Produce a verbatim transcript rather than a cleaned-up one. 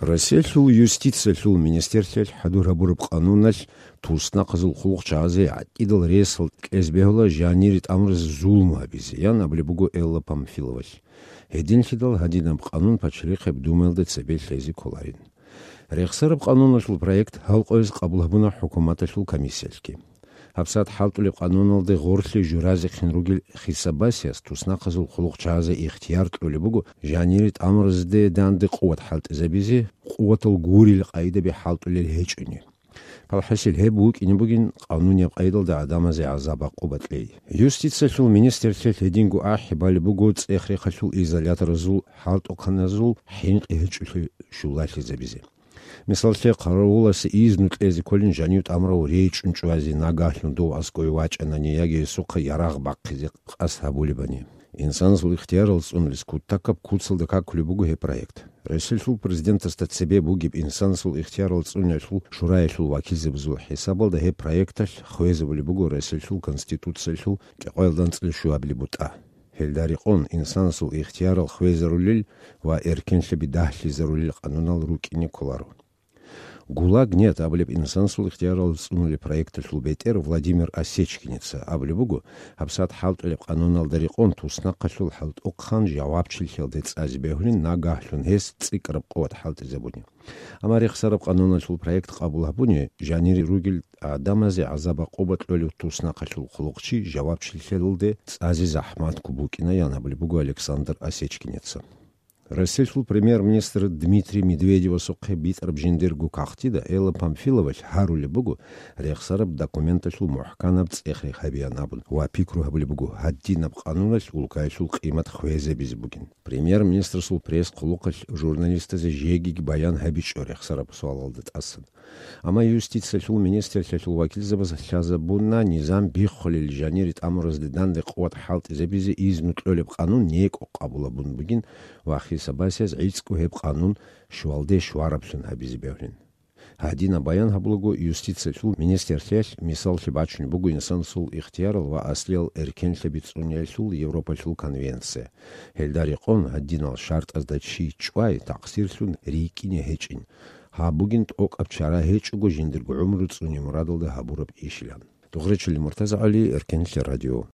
Россиялъул юстициялъул министрлъиялъ хӀадур гьабураб къануналъ туснахъазул хъулухъчагӀазе гӀакъидал ресал кьезе бегьула жанире тӀамуразе зулму гьабизе, ян абулеб буго Элла Памфиловалъ. Гьединлъидал гьадинаб къанун Пачалихъеб Думаялда цебе лъезе кколарин. Рехсараб къануналъул проект гьал къояз къабул гьабуна хӀукуматалъул комиссиялъги. ГьабсагӀат хӀалтӀулеб къануналде гъорлъе журазехъин ругел хисабасияс туснахъазул хъулухъчагӀазе ихтияр кьолеб буго жанире тӀамуразде данде къуват хӀалтӀизабизе, къуватал гурил къайдаби хӀалтӀулел гьечӀони. ПалхӀасил гьеб вукӀине бугин къанунияб къайдалда гӀадамазе гӀазаб-гӀакъуба кьей. Юстициялъул министрлъиялъ гьединго ахӀи балеб буго цӀех-рехалъул изоляторазул хӀалтӀухъаназул хӀинкъи гьечӀолъи щулалъизабизе. Мисаллъе, хъаравуласе изну кьезе кколин жанив тӀамурав речӀчӀун чӀвазе, нагагьлъун дов аскӀове вачӀанани яги гьесухъа ярагъ бахъизе къасд гьабулебани. Инсанасул ихтиярал цӀунулес кутакаб куцалда какулеб буго гьеб проект. Россиялъул президентасда цебе бугеб Инсанасул ихтиярал цӀуниялъул шураялъул вакилзабазул хӀисабалда гьеб проекталъ хвезабулеб буго Россиялъул Конституциялъул кӀикъоялда анцӀила щуабилеб бутӀа. Гьелда рекъон инсанасул ихтиярал хвезарулел ва эркенлъаби дагьлъизарулел къанунал рукӀине кколаро. «ГУЛАГ нет» абулеб инсанасул ихтиярал цӀунулеб проекталъул бетӀер Владимир Осечкинеца абулеб буго, гьабсагӀат хӀалтӀулеб къануналда рекъон туснахъалъул хӀалтӀухъан жавабчилъиялде цӀазе бегьулин нагагьлъун гьес цӀикӀкӀараб къуват хӀалтӀизабуни. Амма рехсараб къануналъул проект къабул гьабуни, жанире ругел гӀадамазе гӀазаб-гӀакъуба кьолев туснахъалъул хъулухъчи жавабчилъиялде цӀазе захӀматго букӀина, ян абулеб буго Александр Осечкинеца. Россиялъул премьер-министр Дмитрий Медведевасухъе битӀараб жиндирго кагътида Элла Памфиловалъ гьарулеб буго, рехсараб документалъул мухӀканаб цӀех-рех гьабеян абун ва пикру гьабулеб буго, гьадинаб къануналъ улкаялъул къимат хвезабизе бугин. Премьер-министрасул пресс-хъулухъалъ журналистазе жегиги баян гьабичӀо рехсараб суалалда тӀасан. Амма юстициялъул министрлъиялъул вакилзабаз лъазабуна низам биххулел жанире тӀамуразде данде къуват хӀалтӀизабизе изну кьолеб къанун некӀо къабул гьабун бугин ва хисабасияз гӀицӀго гьеб къанун щвалде щвараблъун гьабизе бегьулин. Гьадинаб баян гьабулаго юстициялъул министрлъиялъ мисаллъи бачунеб буго инсанасул ихтиярал ва аслиял эркенлъаби цӀуниялъул Европалъул конвенция. Гьелда рекъон гьадинал шартӀазда чи чӀвай такъсирлъун рикӀкӀине гьечӀин. Гьаб бугин тӀокӀаб чара гьечӀого жиндирго гӀумру цӀуне мурадалда гьабураб ишилан. Дугъречили Муртаза ГӀали, Эркенлъи радио.